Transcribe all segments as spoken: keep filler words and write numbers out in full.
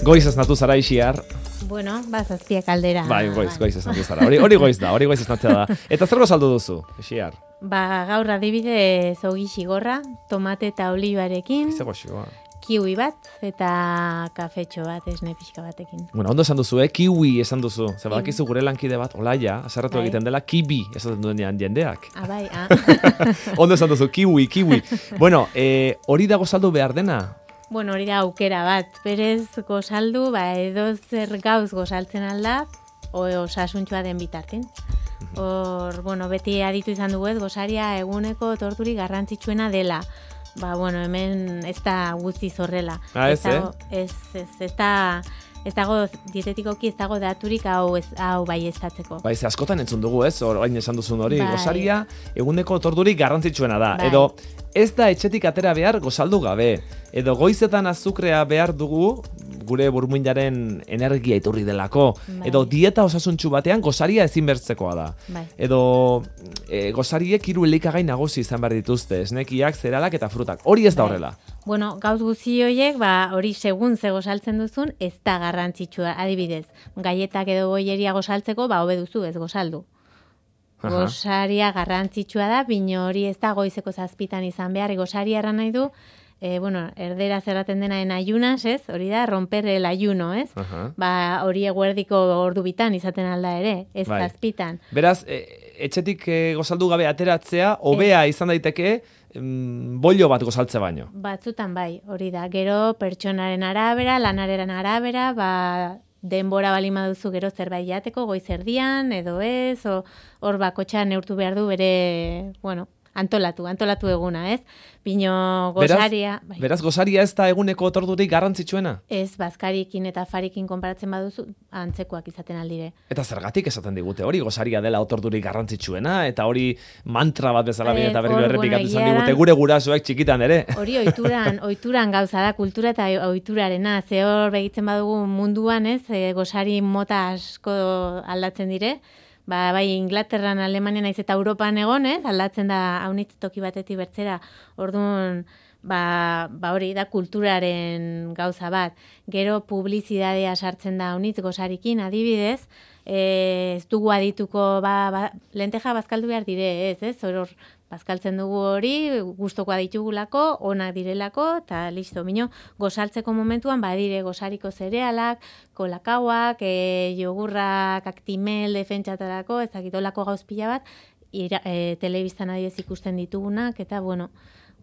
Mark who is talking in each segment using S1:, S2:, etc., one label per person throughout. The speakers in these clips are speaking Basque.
S1: Goiz esnatu zara Ixiar.
S2: Bueno, bazazpiak aldera.
S1: Bai, goiz, goiz esnatu zara. Hori, hori goiz da, hori goiz esnatzea da. Eta zer gozaldu duzu, Ixiar?
S2: Ba, gaur adibidez ogi xigorra, tomate eta olibarekin,
S1: Izego xigoa.
S2: kiwi bat eta kafetxo bat, esne pixka batekin.
S1: Bueno, ondo esan duzu, eh? Kiwi esan duzu. Zer badakizu gure lankide bat, Olaia, aserratu
S2: Bai.
S1: egiten dela, kibi esaten duenean jendeak.
S2: Ah, bai, ah.
S1: Ondo esan duzu, kiwi, kiwi. Bueno, eh, hori da gozaldu behar dena?
S2: Bueno, hori da aukera bat. Berez gozaldu, ba, edo zer gauz gozaltzen alda, o osasuntxua den bitartin. Hor, bueno, beti aditu izan dugu ez, gosaria eguneko torturi garrantzitsuena dela. Ba, bueno, hemen ez da guztiz horrela.
S1: Ah, ez,
S2: dago, ez, ez, ez da, ez dago dietetikoki ez dago daturik hau, ez, hau bai estatzeko.
S1: Bai, ze askotan entzun dugu ez, orain esan duzun hori,
S2: Bai.
S1: gosaria eguneko torturik garrantzitsuena da.
S2: Bai.
S1: Edo ez da etxetik atera behar gozaldu gabe. Edo goizetan azukrea behar dugu gure burmuinaren energia iturri delako.
S2: Bai.
S1: Edo dieta osasuntsu batean gosaria ezinbertzekoa da.
S2: Bai.
S1: Edo e, gosariek hiru elikagai nagusi izan behar dituzte, esnekiak, zeralak eta frutak. Hori ez da
S2: Bai.
S1: horrela.
S2: Bueno, gauz guzti horiek, ba, hori segun ze gozaltzen duzun, ez da garrantzitsua. Adibidez, gaietak edo goieria gozaltzeko, ba, hobe duzu, ez gozaldu.
S1: Aha.
S2: Gosaria garrantzitsua da, bino hori ez da goizeko zazpitan izan behar. Gosaria erran nahi du, e, bueno, erdera zerraten dena en ayunas, ez? Hori da, romper el ayuno, ez?
S1: Aha.
S2: Ba, hori eguerdiko ordu bitan izaten alda ere, ez
S1: Bai.
S2: zazpitan.
S1: Beraz, e, etxetik e, gozaldu gabe ateratzea, hobea izan daiteke, mm, bollo bat gozaltze baino.
S2: Batzutan bai, hori da. Gero pertsonaren arabera, lanaren arabera, ba, denbora balima duzu gero zerbait jateko, goiz erdian, edo ez, o, hor bakotxa neurtu behar du bere, bueno, antolatu, antolatu eguna, ez? Bino gosaria...
S1: Beraz, beraz gosaria ez da eguneko torturik garrantzitsuena?
S2: Ez, bazkarikin eta farikin konparatzen baduzu, antzekoak izaten aldire.
S1: Eta zergatik esaten digute hori, gosaria dela otordurik garrantzitsuena, eta hori mantra bat bezala
S2: Eh,
S1: bine eta berriro
S2: hor,
S1: errepikatu
S2: bueno,
S1: izan
S2: egia
S1: digute,
S2: da-
S1: gure gurasoek txikitan ere.
S2: Hori oituran, oituran gauza da, kultura eta oiturarena. Ze hor begitzen badugu munduan, ez, e, gosari mota asko aldatzen dire. Ba, bai, Inglaterran, Alemanian naiz eta Europan egon, ez, aldatzen da haunitz toki batetik bertzera. Orduan, ba, ba hori da kulturaren gauza bat. Gero publizidadea sartzen da haunitz gosarikin, adibidez, e, ez dugu adituko, ba, ba, lenteja bazkaldu behar dire, ez, ez, hor, hor, bazkaltzen dugu hori, gustokoa ditugulako, onak direlako, eta listo, bino, gozaltzeko momentuan, badire gozariko zerealak, kolakauak, e, jogurrak, aktimel, defentsatarako, ez dakitolako gauz pila bat, ira, e, telebistan adibidez ikusten ditugunak, eta, bueno,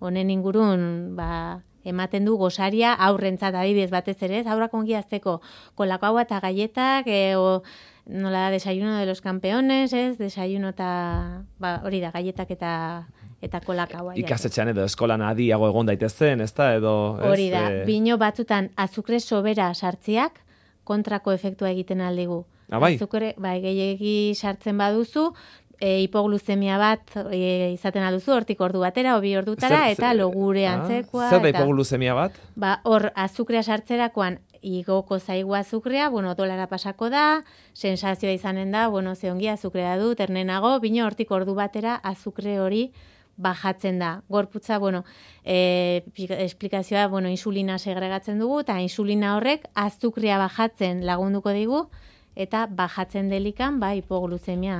S2: honen ingurun, ba, ematen du gosaria aurrentzat adibidez batez ere, ez, aurrak ongi azteko kolakaua eta gaietak, e, o, nola da, desayuno de los campeones, ez, desayuno eta, ba, hori da, gaietak eta eta kolakaua.
S1: Ikastetxean edo eskolan adiago egon daitezen, ez da, edo... Ez,
S2: Hori da,
S1: eh,
S2: bino batzutan azukre sobera sartziak kontrako efektua egiten aldigu.
S1: Ah, bai?
S2: Azukre, bai, gehiegi sartzen baduzu, e, hipoglucemia bat e, izaten alduzu, hortik ordu batera, obi ordutara,
S1: Zer-
S2: eta
S1: zer-
S2: logure
S1: ah,
S2: antzekoa.
S1: Zer da
S2: eta-
S1: hipoglucemia bat?
S2: Ba, hor, azukrea sartzerakoan igoko zaigu azukrea, bueno, dolara pasako da, sensazioa izanen da, bueno, ze ongi azukrea du, ternenago, bino hortik ordu batera azukre hori bajatzen da. Gorputza, bueno, e, esplikazioa, bueno, insulina segregatzen dugu, eta insulina horrek azukrea bajatzen lagunduko digu, eta bajatzen delikan, ba, hipoglucemia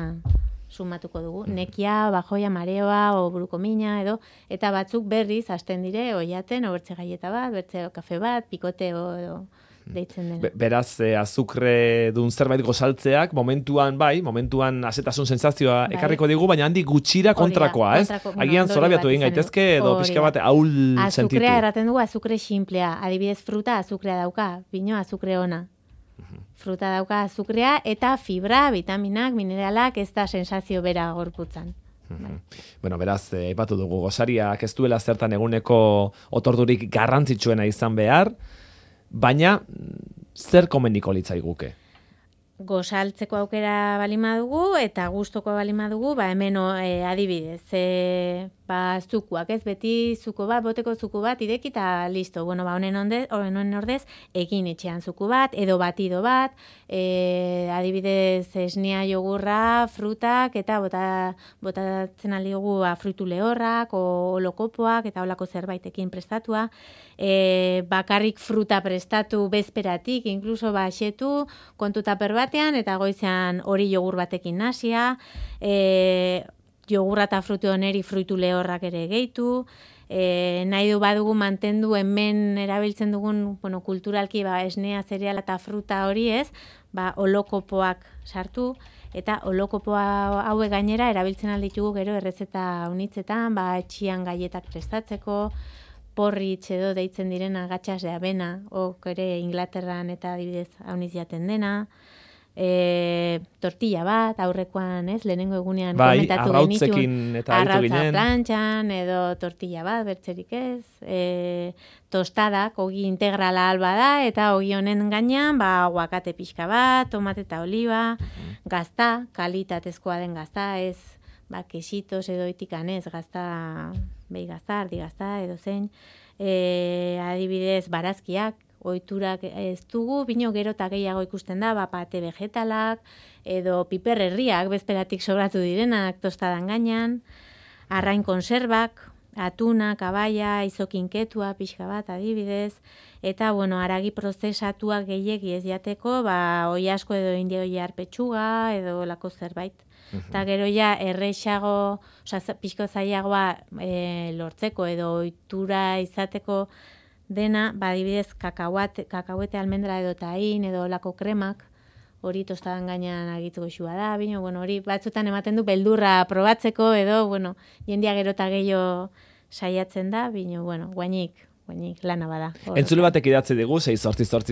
S2: sumatuko dugu. Nekia, bajoia, mareoa, o burukomina, edo, eta batzuk berriz hasten dire, oiaten, o bertze gaieta bat, bertze kafe bat, pikote, o, edo, deitzen dena.
S1: Be- Beraz, eh, azukre dun zerbait gozaltzeak, momentuan, bai, momentuan azetasun sensazioa
S2: Bai.
S1: ekarriko digu, baina handik gutxira
S2: Hori da,
S1: kontrakoa, ez?
S2: kontrako, bueno,
S1: Agian
S2: ondorio
S1: zorabiatu
S2: bat
S1: egin
S2: izan du.
S1: gaitezke, edo
S2: Hori
S1: pixka
S2: da.
S1: bat ahul sentitu.
S2: Azukrea erraten dugu azukre simplea. Adibidez, fruta azukrea dauka, bino azukre ona. Fruta dauka azukrea eta fibra, vitaminak, mineralak, ez da sensazio bera gorputzan. Bai.
S1: Bueno, beraz, eh, aipatu dugu, gosariak ez duela zertan eguneko otordurik garrantzitsuena izan behar, baina mm, zer komeniko litzaiguke?
S2: gozaltzeko aukera balima dugu eta gustoko balima dugu, ba hemen e, adibidez, e, ba zukuak, ez beti zuko bat, boteko zuku bat ideki eta listo. Bueno, ba honen onde, honen ordez egin etxean zuku bat edo batido bat, e, adibidez esnea, jogurra, frutak eta bota botatzen aldi dugu ba, fruitu lehorrak o lokopoak eta holako zerbaitekin prestatua. E, bakarrik fruta prestatu bezperatik, inkluso ba xetu, kontu taper batean eta goizean hori jogur batekin nasia, e, jogurra eta frutu oneri fruitu lehorrak ere gehitu, e, nahi du badugu mantendu hemen erabiltzen dugun, bueno, kulturalki ba, esnea, zereala eta fruta hori ez, ba, olokopoak sartu, eta olokopoa hauek gainera erabiltzen alditugu gero errezeta unitzetan, ba, etxian gaietak prestatzeko, porritx edo deitzen direna gatxas de avena, ok ere Inglaterran eta adibidez hauniz jaten dena, e, tortilla bat, aurrekoan, ez, lehenengo egunean
S1: bai,
S2: komentatu genitun,
S1: arrautzekin eta aritu
S2: arrautza
S1: ginen.
S2: plantxan, edo tortilla bat, bertzerik ez, e, tostadak, ogi integrala alba da, eta ogi honen gainean, ba, aguakate pixka bat, tomate eta oliba, gazta, kalitatezkoa den gazta, ez, ba, kesitos edo itikan ez, gazta, behi gazta, ardi gazta, edo zein, e, adibidez, barazkiak, ohiturak ez dugu, bino gero eta gehiago ikusten da, ba, pate vegetalak, edo piperrerriak, bezperatik sobratu direnak, tostadan gainean, arrain konserbak, atuna, kabaia, izokinketua, pixka bat, adibidez, eta, bueno, haragi prozesatuak gehiegi ez jateko, ba, oi asko edo indio arpetxuga, edo lako zerbait. Eta gero ja errexago, oza, pixko zailagoa e, lortzeko edo ohitura izateko dena, ba, adibidez, kakauate, kakauete almendra edo tahin edo lako kremak, hori tostadan gainean agitzeko xua da, bino, bueno, hori batzutan ematen du beldurra probatzeko edo, bueno, jendia gero eta gehiago saiatzen da, bino, bueno, guainik, guainik lana bada.
S1: Entzule batek idatzi digu, sei zortzi zortzi